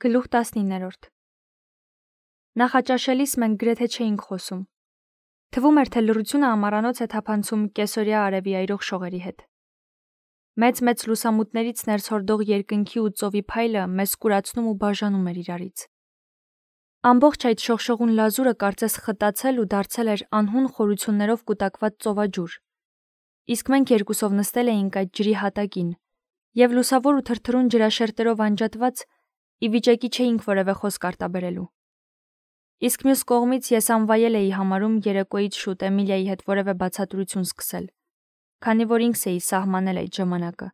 Գլուխ 19 Նախաճաշելիս մենք գրեթե չէինք խոսում։ Թվում էր, թե լռությունը ամառանոց է թափանցում կեսօրյա արևի այրող շողերի հետ։ Մեծ լուսամուտներից ներս հորդող երկնքի ու ծովի փայլը մեզ կուրացնում ու բաժանում էր իրարից։ Ամբողջ այդ շողշողուն լազուրը կարծես խտացել ու դարձել էր անհուն խորություններով կուտակված ծովաջուր։ Իսկ մենք երկուսով նստել էինք այդ ջրի հատակին, եւ լուսավոր ու թրթռուն ջրաշերտերով անջատված ի վիճակի չէինք որևէ խոսք արտաբերելու։ Իսկ մյուս կողմից ես անվայել էի համարում երեկոյից շուտ Էմիլիայի հետ որևէ բացատրություն սկսել, քանի որ ինքս էի սահմանել այդ ժամանակը։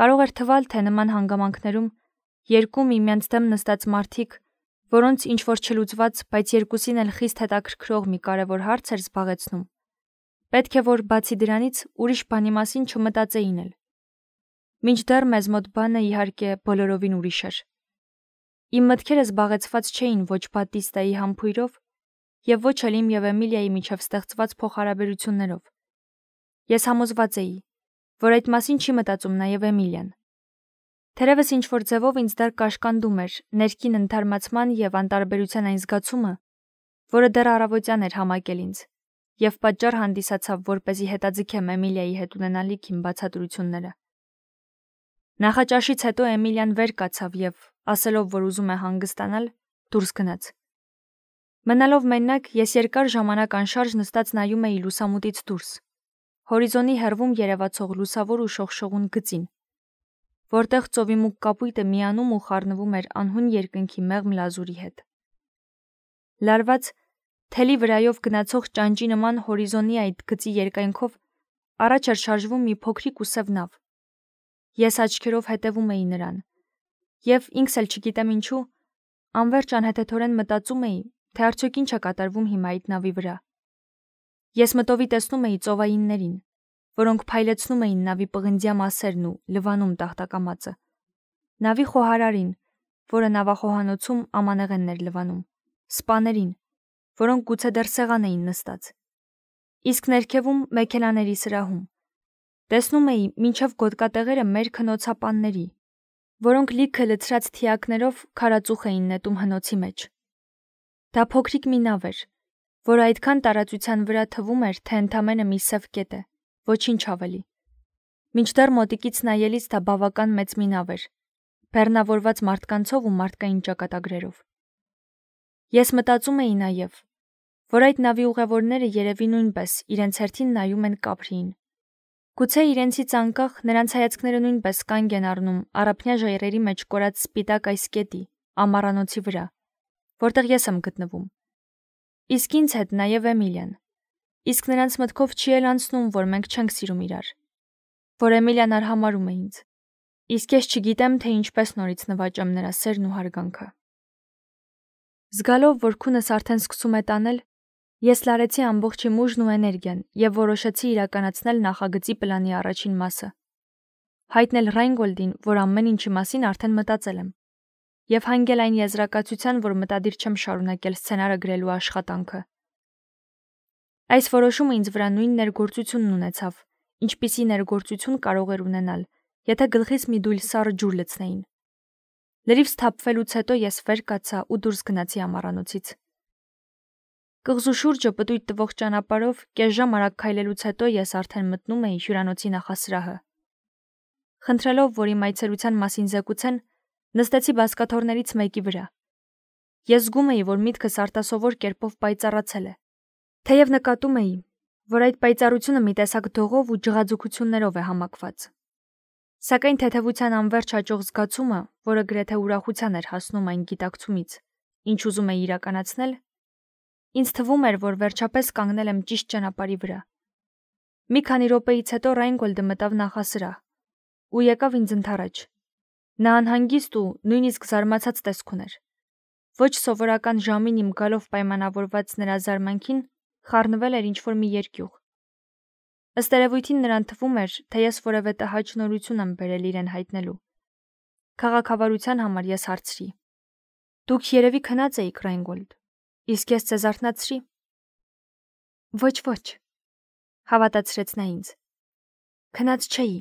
Կարող էր թվալ, թե նման հանգամանքներում երկու միմյանց դեմ նստած մարդիկ, որոնց ինչ-որ չլուծված, բայց երկուսին էլ խիստ հետաքրքրող մի կարևոր հարց էր զբաղեցնում, պետք է որ բացի դրանից ուրիշ բանի մասին չմտածեին էլ։ Մինչդեռ մեզ մոտ բանը իհարկե բոլորովին ուրիշ էր։ Իմ մտքերը զբաղեցված չէին ոչ Բատիստայի համբույրով և ոչ էլ իմ և Էմիլիայի միջև ստեղծված փոխհարաբերություններով։ Ես համոզված էի, որ այդ մասին չի մտածում նաև Էմիլիան։ Թերևս ինչ-որ ձևով ինձ դեռ կաշկանդում էր ներքին ընդհարմացման և անտարբերության այն զգացումը, որը դեռ առավոտյան էր համակել ինձ, և պատճառ հանդիսացավ, որպեսզի հետաձգեմ Էմիլիայի հետ ունենալիք իմ բացատրությունները։ Նախաճաշից հետո Էմիլիան վեր կացավ և, ասելով, որ ուզում է հանգստանալ, դուրս գնաց։ Մնալով մենակ, ես երկար ժամանակ անշարժ նստած նայում էի լուսամուտից դուրս, հորիզոնի հեռվում երևացող լուսավոր ու շողշողուն գծին, որտեղ ծովի մուգ կապույտը միանում ու խառնվում էր անհուն երկնքի մեղմ լազուրի հետ։ Լարված, թելի վրայով գնացող ճանճի նման հորիզոնի այդ գծի երկայնքով առաջ էր շարժվում մի փոքրիկ ու սև նավ։ Ես աչքերով հետևում էի նրան, և ինքս էլ չգիտեմ ինչու, անվերջ անհեթեթորեն մտածում էի, թե արդյոք ինչ է կատարվում հիմա այդ նավի վրա։ Ես մտովի տեսնում էի ծովայիններին, որոնք փայլեցնում էին նավի պղնձյա մասերն ու լվանում տախտակամածը, նավի խոհարարին, որը նավախոհանոցում ամանեղենն էր լվանում, սպաներին, որոնք գուցե դեռ սեղան էին նստած, իսկ ներքևում մեքենաների սրահում տեսնում էի մինչև գոտկատեղերը մեր քնոցապանների, որոնք լիքը լցրած թիակներով քարածուխ էին նետում հնոցի մեջ։ Դա փոքրիկ մի նավ էր, որը այդքան տարածության վրա թվում էր, թե ընդամենը մի սև կետ է, ոչինչ ավելի։ Մինչդեռ մոտիկից նայելիս դա բավական մեծ մի նավ էր, բեռնավորված մարդկանցով ու մարդկային ճակատագրերով։ Ես մտածում էի նաև, որ այդ նավի ուղևորները երևի նույնպես իրենց հերթին նայում են կափրիին։ Գուցե իրենցից անկախ նրանց հայացքները նույնպես կանգ են առնում առափնյա ժայռերի մեջ կորած սպիտակ այս կետի, ամառանոցի վրա, որտեղ ես եմ գտնվում։ Իսկ ինձ հետ նաև Էմիլիան։ Իսկ նրանց մտքով չի էլ անցնում, որ մենք չենք սիրում իրար, որ Էմիլիան արհամարհում է ինձ։ Իսկ ես չգիտեմ, թե ինչպես նորից նվաճեմ նրա սերն ու հարգանքը։ Զգալով, որ քունս արդեն սկսում է տանել, ես լարեցի ամբողջ իմ ուժն ու էներգիան և որոշեցի իրականացնել նախագծի պլանի առաջին մասը։ Հայտնել Ռայնգոլդին, որ ամեն ինչի մասին արդեն մտածել եմ, և հանգել այն եզրակացության, որ մտադիր չեմ շարունակել սցենարը գրելու աշխատանքը։ Այս որոշումը ինձ վրա նույն ներգործությունն ունեցավ, ինչպիսի ներգործություն կարող էր ունենալ, եթե գլխիս մի դույլ սառը ջուր լցնեին։ Լրիվ սթափվելուց հետո ես վեր կացա ու դուրս գնացի ամառանոցից։ Կղզու շուրջը պտույտ տվող ճանապարհով կես ժամ արագ քայլելուց հետո ես արդեն մտնում էի հյուրանոցի նախասրահը։ Խնդրելով, որ իմ այցելության մասին զեկուցեն, նստեցի բազկաթոռներից մեկի վրա։ Ես զգում էի, որ միտքս արտասովոր կերպով պայծառացել է։ Թեև նկատում էի, որ այդ պայծառությունը մի տեսակ դողով ու ջղաձգություններով է համակված։ Սակայն թեթևության անվերջ հաճող զգացումը, որը գրեթե ուրախության էր հասնում այն գիտակցումից, ինչ ուզում էի իրականացնել, ինձ թվում էր, որ վերջապես կանգնել եմ ճիշտ ճանապարհի վրա։ Մի քանի րոպեից հետո Ռայնգոլդը մտավ նախասրահ ու եկավ ինձ ընդառաջ։ Նա անհանգիստ ու նույնիսկ զարմացած տեսք ուներ։ Ոչ սովորական ժամին իմ գալով պայմանավորված նրա զարմանքին խառնվել էր ինչ-որ մի երկյուղ։ Ըստ երևույթին նրան թվում էր, թե ես որևէ տհաճ նորություն եմ բերել իրեն հայտնելու։ Քաղաքավարության համար ես հարցրի. «Դուք երևի քնած էիք, Ռայնգոլդ, իսկ ես ձեզ արթնացրի»։ Ոչ, հավատացրեց նա ինձ։ Քնած չէի,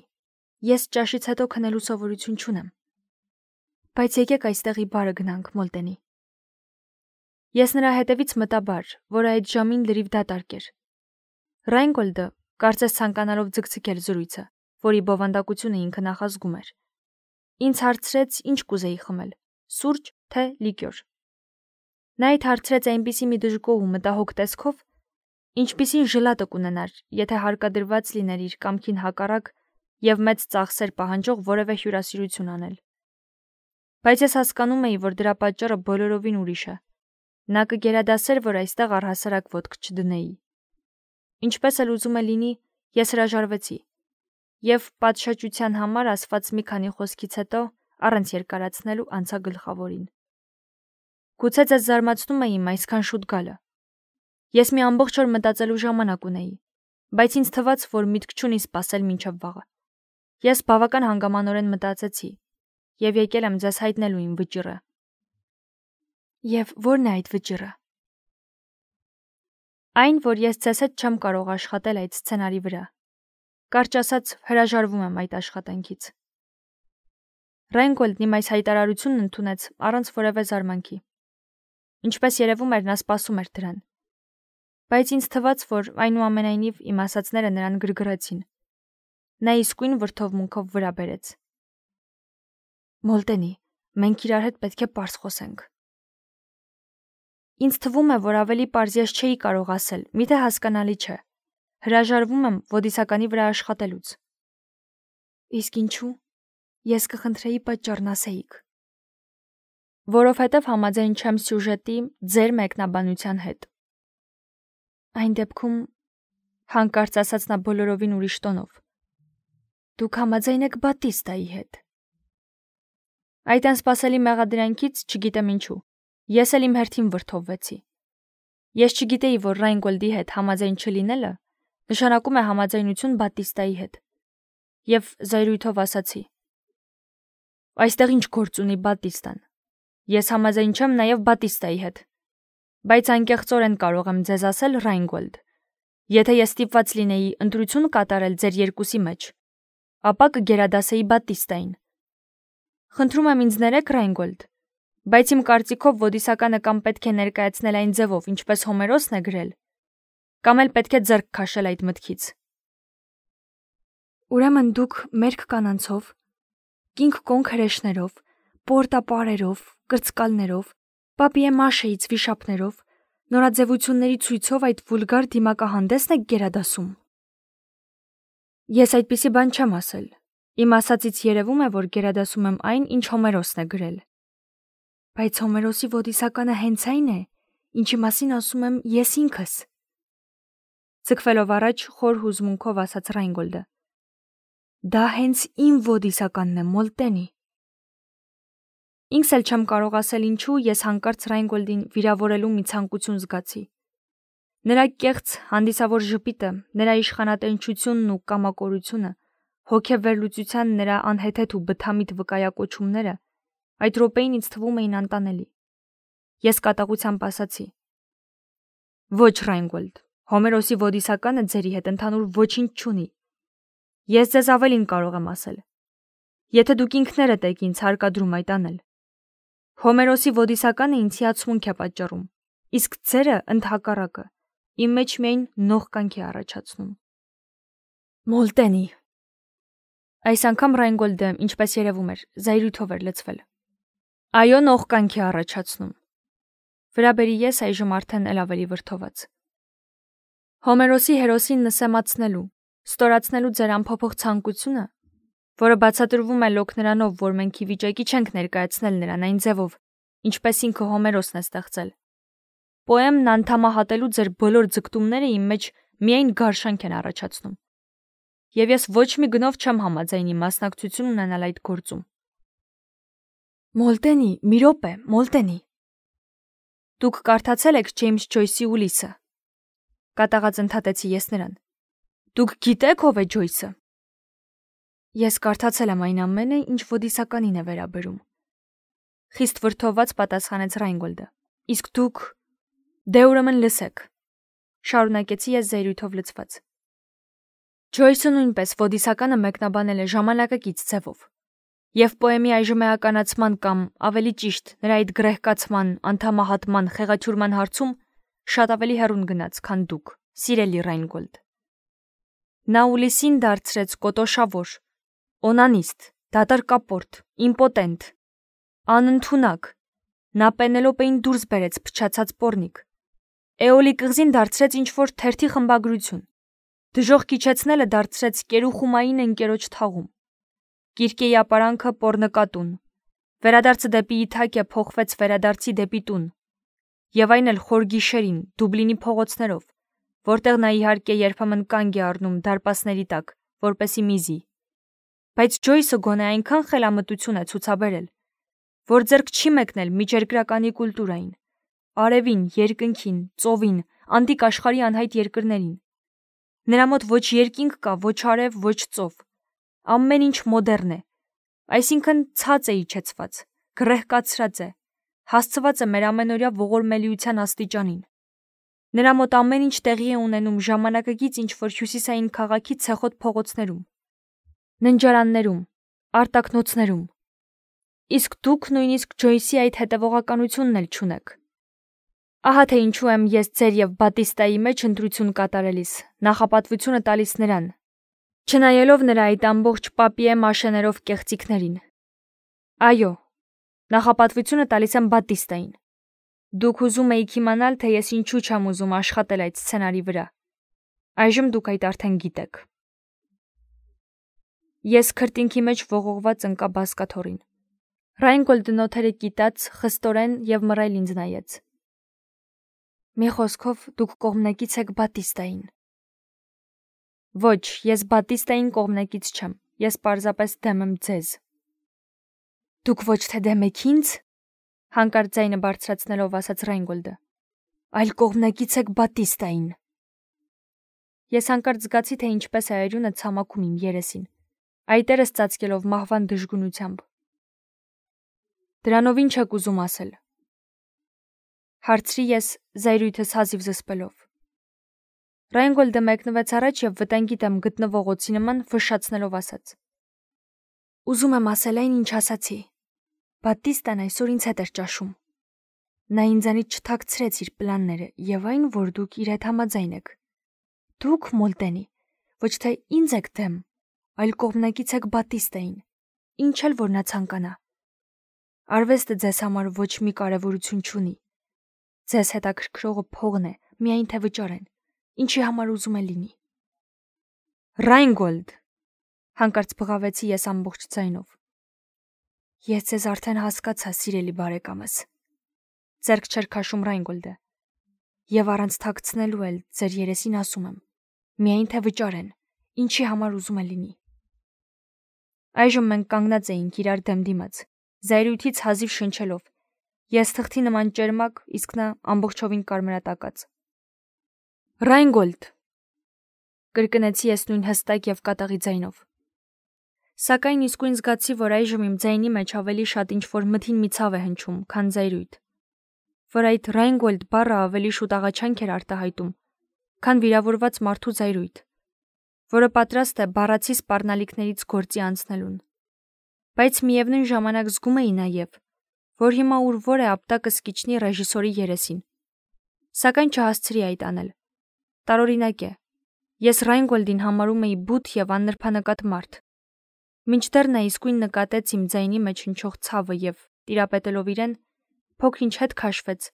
ես ճաշից հետո քնելու սովորություն չունեմ։ Բայց եկեք այստեղի բարը գնանք, Մոլտենի։ Ես նրա հետևից մտա բար, որը այդ ժամին լրիվ դատարկ էր։ Ռայնգոլդը, կարծես ցանկանալով ձգձգել զրույցը, որի բովանդակությունը ինքը նախազգում էր, ինձ հարցրեց, ինչ կուզեի խմել՝ սուրճ, թե լիկյոր։ Նա իդ հարցրեց այնպիսի մի դժգոհ ու մտահոգ տեսքով, ինչպիսին ժլատը կունենար, եթե հարկադրված լիներ իր կամքին հակառակ եւ մեծ ծախսեր պահանջող որևէ հյուրասիրություն անել։ Բայց ես հասկանում էի, որ դրա պատճառը բոլորովին ուրիշ է։ Նա կգերադասեր, որ այստեղ առհասարակ ոտք չդնեի։ Ինչպես էլ ուզում է լինի, ես հրաժարվեցի եւ պատշաճության համար ասված մի քանի խոսքից հետո առանց երկարացնելու անցա գլխավորին։ Գուցե ձեզ զարմացնում է իմ այսքան շուտ գալը։ Ես մի ամբողջ օր մտածելու ժամանակ ունեի, բայց ինձ թվաց, որ միտք չունի սպասել մինչև վաղը։ Ես բավական հանգամանորեն մտածեցի եւ եկել եմ ձեզ հայտնելու իմ վճիռը։ Եվ ո՞րն է այդ վճիռը։ Այն, որ ես ձեզ հետ չեմ կարող աշխատել այդ սցենարի վրա։ Կարճ ասած, հրաժարվում եմ այդ աշխատանքից։ Ռայնգոլդն իմ այս հայտարարությունն ընդունեց առանց որևէ զարմանքի։ Ինչպես երևում էր, նա սպասում էր դրան։ Բայց ինձ թվաց, որ այնուամենայնիվ իմ ասածները նրան գրգռեցին։ Նա իսկույն վրդովմունքով վրա բերեց։ Մոլտենի, մենք իրար հետ պետք է պարզ խոսենք։ Ինձ թվում է, որ ավելի պարզ ես չէի կարող ասել, միթե հասկանալի չէ։ Հրաժարվում եմ ոդիսականի վրա աշխատելուց։ Իսկ ինչու։ Ես կխնդրեի պատճառն ասեիք։ Որովհետև համաձայն չեմ սյուժետի ձեր մեկնաբանության հետ։ Այն դեպքում, հանկարծ ասաց նա բոլորովին ուրիշ տոնով, դուք համաձայն եք Բատիստայի հետ։ Այդ անսպասելի մեղադրանքից չգիտեմ ինչու, ես էլ իմ հերթին վրդովվեցի։ Ես չգիտեի, որ Ռայնգոլդի հետ համաձայն չլինելը նշանակում է համաձայնություն Բատիստայի հետ։ Եվ զայրույթով ասացի. Այստեղ ինչ գործ ունի Բատիստան։ Ես համաձայն չեմ նաև Բատիստայի հետ։ Բայց անկեղծորեն կարող եմ ձեզ ասել, Ռայնգոլդ, եթե ես ստիպված լինեի ընտրություն կատարել ձեր երկուսի մեջ, ապա կգերադասեի Բատիստային։ Խնդրում եմ ինձ ներեք, Ռայնգոլդ, բայց իմ կարծիքով ոդիսականը կամ պետք է ներկայացնել այն ձևով, ինչպես Հոմերոսն է գրել, կամ էլ պետք է ձեռք քաշել այդ մտքից։ Ուրեմն դուք մերկ կանանցով, կինք կոնք հրեշներով, պորտապարերով, կրծկալներով, պապիե մաշեից վիշապներով, նորաձևությունների ցույցով այդ վուլգար դիմակահանդեսն եք գերադասում։ Ես այդպիսի բան չեմ ասել։ Իմ ասածից երևում է, որ գերադասում եմ այն, ինչ Հոմերոսն է գրել։ Բայց Հոմերոսի ոդիսականը հենց այն է, ինչի մասին ասում եմ ես ինքս։ Ցկվելով առաջ խոր հուզմունքով ասաց Ռայնգոլդը։ Դա հենց իմ ոդիսականն է, Մոլտենի։ Ինքս էլ չեմ կարող ասել ինչու ես հանկարծ Ռայնգոլդին վիրավորելու մի ցանկություն զգացի։ Նրա կեղծ հանդիսավոր ժպիտը, նրա իշխանատենչությունն ու կամակորությունը, հոգեվերլուծության նրա անհեթեթ ու բթամիտ վկայակոչումները այդ րոպեին ինձ թվում էին անտանելի։ Ես կատաղությամբ ասացի. Ոչ, Ռայնգոլդ, Հոմերոսի ոդիսականը ձերի հետ ընդհանուր ոչինչ չունի։ Ես ձեզ ավելին կարող եմ ասել։ Եթե դուք ինքներդ եք ինձ հարկադրում այդ անել։ Հոմերոսի ոդիսականը ինձ հիացմունք է պատճառում, իսկ ձերը ընդհակառակը իմ մեջ միայն նողկանք է առաջացնում։ Մոլտենի։ Այս անգամ Ռայնգոլդը, ինչպես երևում էր, զայրույթով էր լցվել։ Այո, նողկանք է առաջացնում։ Վրաբերի ես այժմ արդեն էլ ավելի վրդոված։ Հոմերոսի հերոսին նսեմացնելու, ստորացնելու ձեր անփոփոխ ցանկությունը, որը բացատրվում է լոկ նրանով, որ մենք ի վիճակի չենք ներկայացնել նրան այն ձևով, ինչպես ինքը Հոմերոսն է ստեղծել։ Պոեմն անդամահատելու ձեր բոլոր ձգտումները իմ մեջ միայն գարշանք են առաջացնում։ Եվ ես ոչ մի գնով չեմ համաձայնի մասնակցություն ունենալ այդ գործում։ Մոլտենի, մի րոպե, Մոլտենի։ Դուք կարդացել եք Ջեյմս Ջոյսի Ուլիսը։ Կատաղած ընդհատեցի ես նրան։ Դուք գիտեք ով է Ջոյսը։ Ես կարդացել եմ այն ամենը, ինչ ոդիսականին է վերաբերում։ Խիստ վրդոված պատասխանեց Ռայնգոլդը։ Իսկ դուք դե ուրեմն լսեք։ Շարունակեցի ես զայրույթով լցված։ Ջոյսը նույնպես ոդիսականը մեկնաբանել է ժամանակակից ձևով։ Եվ պոեմի այժմ էականացման կամ ավելի ճիշտ նրա այդ գրեհկացման, անդամահատման, խեղաթյուրման հարցում շատ ավելի հեռուն գնաց, քան դուք, սիրելի Ռայնգոլդ։ Նա Ուլիսին դարձրեց կոտոշավոր, օնանիստ, դատարկապորտ, իմպոտենտ, անընդունակ, նա Պենելոպեին դուրս բերեց փչացած պոռնիկ, Էոլի կղզին դարձրեց ինչ-որ թերթի խմբագրություն, դժոխք իջեցնելը դարձրեց կերուխումային ընկերոջ թաղում, Կիրկեի ապարանքը պոռնկատուն, վերադարձը դեպի Իթակիա փոխվեց վերադարձի դեպի տուն, եւ այն էլ խոր գիշերին, Դուբլինի փողոցներով, որտեղ նա իհարկե երբեմն կանգ է առնում դարպասների տակ, որպեսի միզի։ Բայց Ջոյսը գոնե այնքան խելամտություն է ցուցաբերել, որ ձեռք չի մեկնել միջերկրականի կուլտուրային, արևին, երկնքին, ծովին, անտիկ աշխարհի անհայտ երկրներին։ Նրա մոտ ոչ երկինք կա, ոչ արև, ոչ ծով։ Ամեն ինչ մոդեռն է, այսինքն ցած է իջեցված, գրեհկացրած է, հասցված է մեր ամենօրյա ողորմելիության աստիճանին։ Նրա մոտ ամեն ինչ տեղի է ունենում ժամանակակից ինչ-որ հյուսիսային քաղաքի ցեխոտ փողոցներում, ննջարաններում, արտակնոցներում։ Իսկ դուք նույնիսկ Ջոյսի այդ հետևողականությունն էլ չունեք։ Ահա թե ինչու եմ ես ձեր եւ Բատիստայի մեջ ընտրություն կատարելիս, նախապատվությունը տալիս նրան, չնայելով նրա այդ ամբողջ պապիե մաշեներով կեղծիքներին։ Այո, նախապատվությունը տալիս եմ Բատիստային։ Դուք ուզում էիք իմանալ, թե ես ինչու չեմ ուզում աշխատել այդ սցենարի վրա։ Այժմ դուք այդ արդեն գիտեք։ Ես քրտինքի մեջ ողողված ընկա բազկաթոռին։ Ռայնգոլդը նոթերը կիտած, խստորեն եւ մռայլ ինձ նայեց։ Մի խոսքով դուք կողմնակից եք Բատիստային։ Ոչ, ես Բատիստային կողմնակից չեմ, ես պարզապես դեմ եմ ձեզ։ Դուք ոչ թե դեմ եք ինձ, հանկարծ ձայնը բարձրացնելով ասաց Ռայնգոլդը, այլ կողմնակից եք Բատիստային։ Ես հանկարծ զգացի, թե ինչպես է այրունը ցամաքում իմ երեսին, այտերս ծածկելով մահվան դժգունությամբ։ Դրանով ինչ եք ուզում ասել։ Հարցրի ես զայրույթս հազիվ զսպելով։ Ռայնգոլդը մեկնվեց առաջ եւ վտանգի դեմ գտնվող օծի նման ֆշշացնելով ասաց. Ուզում եմ ասել այն, ինչ ասացի։ Բատիստան այսօր ինձ հետ էր ճաշում։ Նա ինձանից չթաքցրեց իր պլանները եւ այն, որ դուք իր հետ համաձայն եք։ Դուք, Մոլտենի, ոչ թե ինձ եք դեմ, այլ կողմնակից եք Բատիստային, ինչ էլ որ նա ցանկանա։ Արվեստը ձեզ համար ոչ մի կարևորություն չունի։ Ձեզ հետաքրքրողը փողն է, միայն թե վճարեն, ինչի համար ուզում է լինի։ Ռայնգոլդ, հանկարծ բղավեցի ես ամբողջ ձայնով։ Ես ձեզ արդեն հասկացա, սիրելի բարեկամս, ձեռք չէր քաշում Ռայնգոլդը, եւ առանց թաքցնելու էլ ձեր երեսին ասում եմ, միայն թե վճարեն, ինչի համար ուզում է լինի։ Այժմ մենք կանգնած էինք իրար դեմ դիմաց, զայրույթից հազիվ շնչելով, ես թղթի նման ճերմակ, իսկ նա ամբողջովին կարմրատակած։ Ռայնգոլդ, կրկնեցի ես նույն հստակ եւ կատաղի ձայնով։ Սակայն իսկույն զգացի, որ այժմ իմ ձայնի մեջ ավելի շատ ինչ-որ մթին մի ցավ է հնչում, քան զայրույթ, որ այդ Ռայնգոլդ բառը ավելի շուտ աղաչանք էր արտահայտում, քան վիրավորված մարդու զայրույթ, որը պատրաստ է բառացի սպառնալիքներից գործի անցնելուն։ Բայց միևնույն ժամանակ զգում էի նաեւ, որ հիմա ուր-որ է ապտակը սկիչնի ռեժիսորի երեսին։ Սակայն չհասցրի այդ անել։ Տարօրինակ է։ Ես Ռայնգոլդին համարում էի բութ եւ աննրբանկատ մարդ։ Մինչդեռ նա իսկույն նկատեց իմ ձայնի մեջ հնչող ցավը եւ, տիրապետելով իրեն, փոքր-ինչ հետ քաշվեց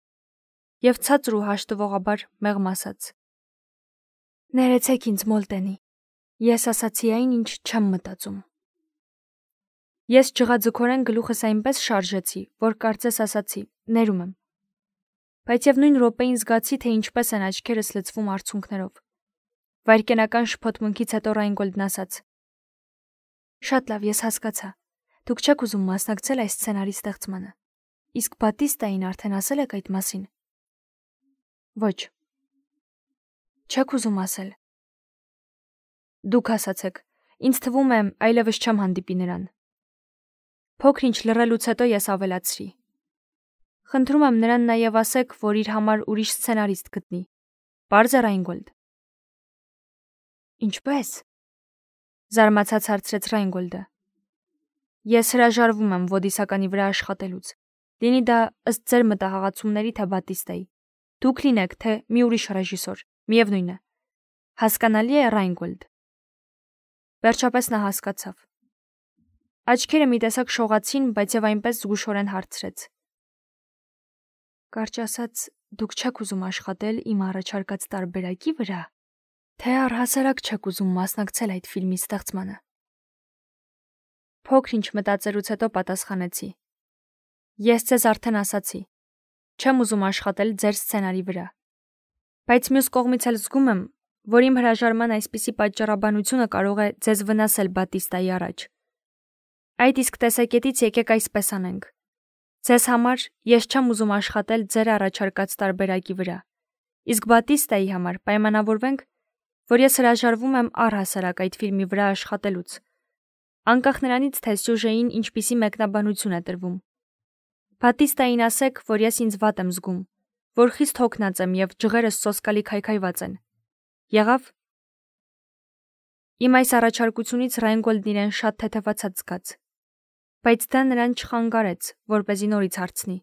եւ ցածր ու հաշտվողաբար մեղմ ասաց. Ներեցեք ինձ, Մոլտենի, ես ասացի այն, ինչ չեմ մտածում։ Ես ջղաձգորեն գլուխս այնպես շարժեցի, որ կարծես ասացի, ներում եմ։ Բայց եւ նույն րոպեին զգացի, թե ինչպես են աչքերս լցվում արցունքներով։ Վայրկենական շփոթմունքից հետո Ռայնգոլդն ասաց. Շատ լավ, ես հասկացա։ Դուք չեք ուզում մասնակցել այս սցենարի ստեղծմանը։ Իսկ Բատիստային արդեն ասել եք այդ մասին։ Ոչ։ Չեք ուզում ասել։ Դուք ասացեք, ինձ թվում է այլևս չեմ հանդիպի նրան։ Փոքր-ինչ լռելուց հետո ես ավելացրի. Խնդրում եմ նրան նաև ասեք, որ իր համար ուրիշ սցենարիստ գտնի։ Պարզ է, Ռայնգոլդ։ Ինչպես։ Զարմացած հարցրեց Ռայնգոլդը։ Ես հրաժարվում եմ ոդիսականի վրա աշխատելուց։ Լինի դա ըստ ձեր մտահղացումների թե Բատիստայի։ Դուք լինեք թե մի ուրիշ ռեժիսոր, միևնույն է։ Հասկանալի է, Ռայնգոլդ։ Վերջապես նա հասկացավ։ Աչքերը մի տեսակ շողացին, բայց եւ այնպես զգուշորեն հարցրեց. Կարճ ասած, դուք չեք ուզում աշխատել իմ առաջարկած տարբերակի վրա, թե առհասարակ չեք ուզում մասնակցել այդ ֆիլմի ստեղծմանը։ Փոքր ինչ մտածելուց հետո պատասխանեցի. Ես ձեզ արդեն ասացի, չեմ ուզում աշխատել ձեր սցենարի վրա։ Բայց մյուս կողմից էլ զգում եմ, որ իմ հրաժարման այսպիսի պատճառաբանությունը կարող է ձեզ վնասել Բատիստայի առաջ։ Այդ իսկ տեսակետից եկեք այսպես անենք։ Ձեզ համար ես չեմ ուզում աշխատել ձեր առաջարկած տարբերակի վրա։ Իսկ Բատիստայի համար պայմանավորվենք, որ ես հրաժարվում եմ առհասարակ այդ ֆիլմի վրա աշխատելուց։ Անկախ նրանից, թե սյուժեին ինչպիսի մեկնաբանություն է տրվում։ Բատիստային ասեք, որ ես ինձ վատ եմ զգում, որ խիստ հոգնած եմ եւ ջղերս սոսկալի քայքայված են։ Եղավ։ Իմ այս առաջարկությունից Ռայնգոլդն իրեն շատ թեթևացած զգաց, բայց դա նրան չխանգարեց, որպեսզի նորից հարցնի.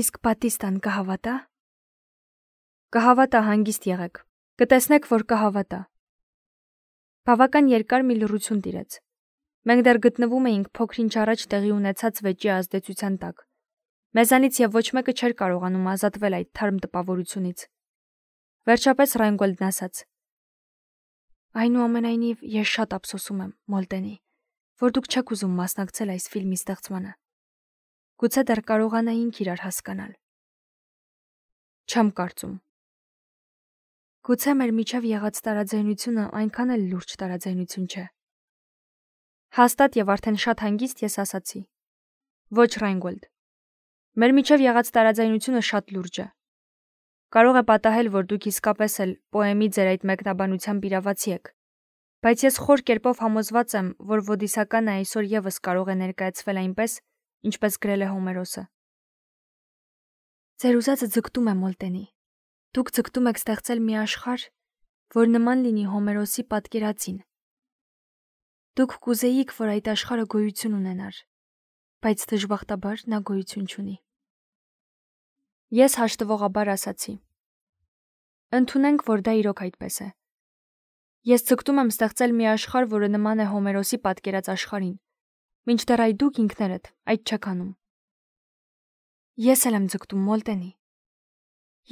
Իսկ Բատիստան կհավատա։ Կհավատա, հանգիստ եղեք։ Կտեսնեք, որ կհավատա։ Բավական երկար մի լռություն տիրեց։ Մենք դեռ գտնվում էինք փոքր-ինչ առաջ տեղի ունեցած վեճի ազդեցության տակ։ Մեզանից եւ ոչ մեկը չէր կարողանում ազատվել այդ թարմ տպավորությունից։ Վերջապես Ռայնգոլդն ասաց. Այնուամենայնիվ ես շատ ափսոսում եմ, Մոլտենի, որ դուք չեք ուզում մասնակցել այս ֆիլմի ստեղծմանը։ Գուցե դեռ կարողանայինք իրար հասկանալ։ Չեմ կարծում։ Գուցե մեր միջև եղած տարաձայնությունը այնքան էլ լուրջ տարաձայնություն չէ։ Հաստատ եւ արդեն շատ հանգիստ ես ասացի. Ոչ, Ռայնգոլդ։ Մեր միջև եղած տարաձայնությունը շատ լուրջ է։ Կարող է պատահել, որ դուք իսկապես էլ պոեմի ձեր այդ մեկնաբանությամբ իրավացի եք, բայց ես խոր կերպով համոզված եմ, որ ոդիսականը այսօր եւս կարող է ներկայացվել այնպես, ինչպես գրել է Հոմերոսը։ Ձեր ուզածը ձգտում է, Մոլտենի։ Դուք ձգտում եք ստեղծել մի աշխարհ, որ նման լինի Հոմերոսի պատկերածին։ Դուք կուզեիք, որ այդ աշխարհը գոյություն ունենար, բայց դժբախտաբար նա գոյություն չունի։ Ես հաշտվողաբար ասացի. Ընդունենք, որ դա իրոք այդպես է։ Ես ձգտում եմ ստեղծել մի աշխարհ, որը նման է Հոմերոսի պատկերած աշխարհին, մինչդեռ այդ դուք ինքներդ այդ չեք անում։ Ես էլ եմ ձգտում, Մոլտենի։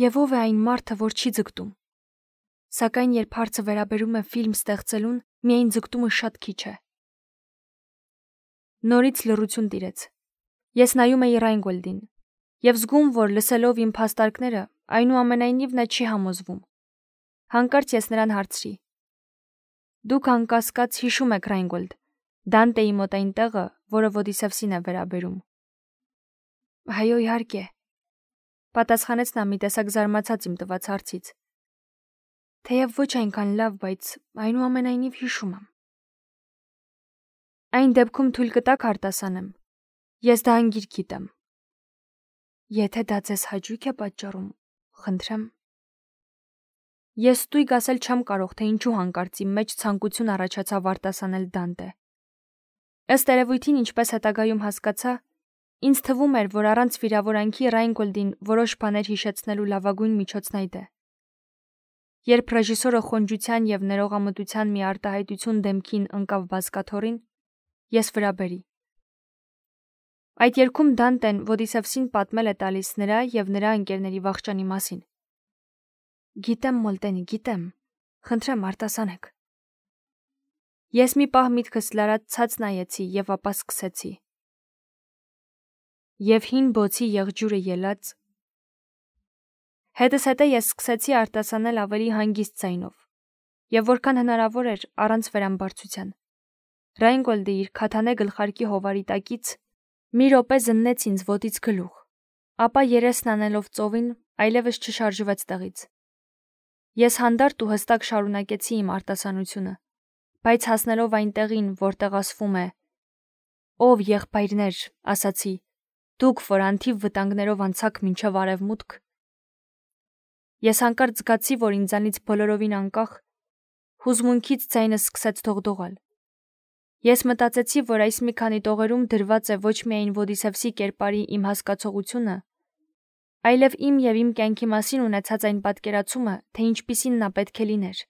Եվ ով է այն մարդը, որ չի ձգտում։ Սակայն երբ հարցը վերաբերում է ֆիլմ ստեղծելուն, միայն ձգտումը շատ քիչ է։ Նորից լռություն տիրեց։ Ես նայում էի Ռայնգոլդին եւ զգում, որ լսելով իմ փաստարկները, այնուամենայնիվ նա չի համոզվում։ Հանկարծ ես նրան հարցրի. Դուք անկասկած հիշում եք, Ռայնգոլդ, Դանտեի մոտ այն տեղը, որը Ոդիսևսին է վերաբերում։ Այո, իհարկե, պատասխանեց նա մի տեսակ զարմացած իմ տված հարցից։ Թեև ոչ այնքան լավ, բայց այնուամենայնիվ հիշում եմ։ Այն դեպքում թույլ կտաք արտասանեմ։ Ես դա անգիր գիտեմ։ Եթե դա ձեզ հաճույք է պատճառում, խնդրեմ։ Ես ստույգ ասել չեմ կարող, թե ինչու հանկարծ իմ մեջ ցանկություն առաջացավ արտասանել Դանտե։ Ըստ երևույթին, ինչպես հետագայում հասկացա, ինձ թվում էր, որ առանց վիրավորանքի Ռայնգոլդին որոշ բաներ հիշեցնելու լավագույն միջոցն այդ է։ Երբ ռեժիսորը խոնջության եւ ներողամտության մի արտահայտություն դեմքին ընկավ բազկաթոռին, ես վրա բերի։ Այդ երգում Դանտեն Ոդիսևսին պատմել է տալիս նրա եւ նրա ընկերների վախճանի մասին։ Գիտեմ, Մոլտենի, գիտեմ։ Խնդրեմ, արտասանեք։ Ես մի պահ միտքս լարած ցած նայեցի եւ ապա սկսեցի։ Եվ հին բոցի եղջյուրը ելած։ Հետս հետե ես սկսեցի արտասանել ավելի հանգիստ ձայնով եւ որքան հնարավոր էր առանց վերամբարձության։ Ռայնգոլդը իր քաթանե գլխարկի հովարի տակից մի րոպե զննեց ինձ ոտից գլուխ, ապա երեսն անելով ծովին այլևս չշարժվեց տեղից։ Ես հանդարտ ու հստակ շարունակեցի իմ արտասանությունը, բայց հասնելով այն տեղին, որտեղ ասվում է. Ով եղբայրներ, ասացի, դուք, որ անթիվ վտանգներով անցաք մինչև արևմուտք։ Ես հանկարծ զգացի, որ ինձանից բոլորովին անկախ հուզմունքից ձայնս սկսեց դողդողալ։ Ես մտածեցի, որ այս մի քանի տողերում դրված է ոչ միայն Ոդիսևսի կերպարի իմ հասկացողությունը, այլև իմ և իմ կյանքի մասին ունեցած այն պատկերացումը, թե ինչպիսին նա պետք է լիներ,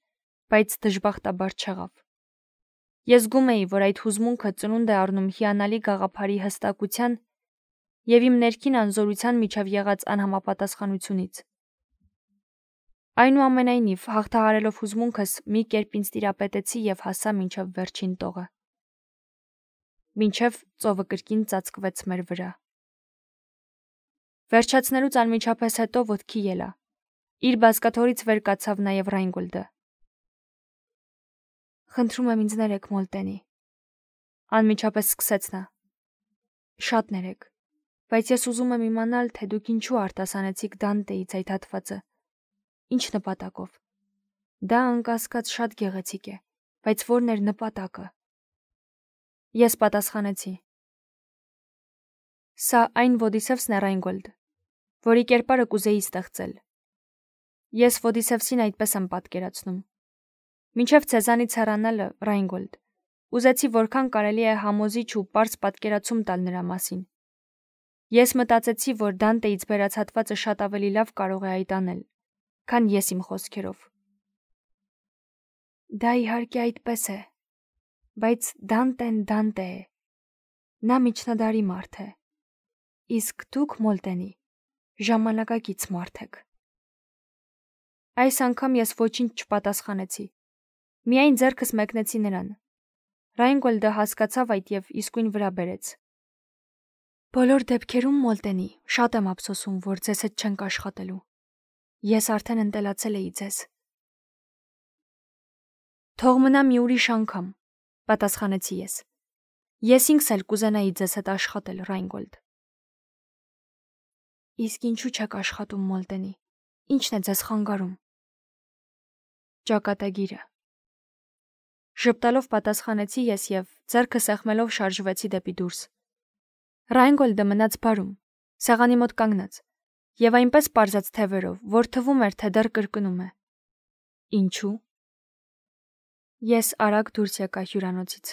բայց դժբախտաբար չեղավ։ Ես զգում էի, որ այդ հուզմունքը ծնունդ է առնում հիանալի գաղափարի հստակության և իմ ներքին անզորության միջև եղած անհամապատասխանությունից։ Այնուամենայնիվ, հաղթահարելով հուզմունքս, մի կերպ ինձ տիրապետեցի և հասա մինչև վերջին տողը։ Մինչև ծովը կրկին ծածկվեց մեր վրա։ Վերջացնելուց անմիջապես հետո ոտքի ելա։ Իր բազկաթոռից վեր կացավ նաև Ռայնգոլդը։ Խնդրում եմ ինձ ներեք, Մոլտենի։ Անմիջապես սկսեց նա։ Շատ ներեք, բայց ես ուզում եմ իմանալ, թե դուք ինչու արտասանեցիք Դանտեից այդ հատվածը։ Ինչ նպատակով։ Դա անկասկած շատ գեղեցիկ է, բայց որն էր նպատակը։ Ես պատասխանեցի. Սա այն Ոդիսևսն է, Ռայնգոլդ, որի կերպարը կուզեի ստեղծել։ Ես Ոդիսևսին այդպես եմ պատկերացնում։ Մինչև ցեզանից հեռանալը, Ռայնգոլդ, ուզեցի որքան կարելի է համոզիչ ու պարզ պատկերացում տալ նրա մասին։ Ես մտածեցի, որ Դանտեից բերած հատվածը շատ ավելի լավ կարող է այդ անել, քան ես իմ խոսքերով։ Դա իհարկե այդպես է, բայց Դանտեն Դանտե է։ Նա միջնադարի մարդ է։ Իսկ դուք, Մոլտենի, ժամանակակից մարդ եք։ Այս անգամ ես ոչինչ չպատասխանեցի։ Միայն ձեռքս մեկնեցի նրան։ Ռայնգոլդը հասկացավ այդ և իսկույն վրա բերեց։ Բոլոր դեպքերում, Մոլտենի, շատ եմ ափսոսում, որ ձեզ հետ չենք աշխատելու։ Ես արդեն ընտելացել էի ձեզ։ Թող մնա մի ուրիշ անգամ, պատասխանեցի ես։ Ես ինքս էլ կուզենայի ձեզ հետ աշխատել, Ռայնգոլդ։ Իսկ ինչու չեք աշխատում, Մոլտենի։ Ինչն է ձեզ խանգարում։ Ճակատագիրը։ Ժպտալով պատասխանեցի ես և ձեռքը սեղմելով շարժվեցի դեպի դուրս։ Ռայնգոլդը մնաց բարում, սեղանի մոտ կանգնած, և այնպես պարզեց թևերով, որ թվում էր, թե դեռ կրկնում է։ Ինչու։ Ես արագ դուրս եկա հյուրանոցից։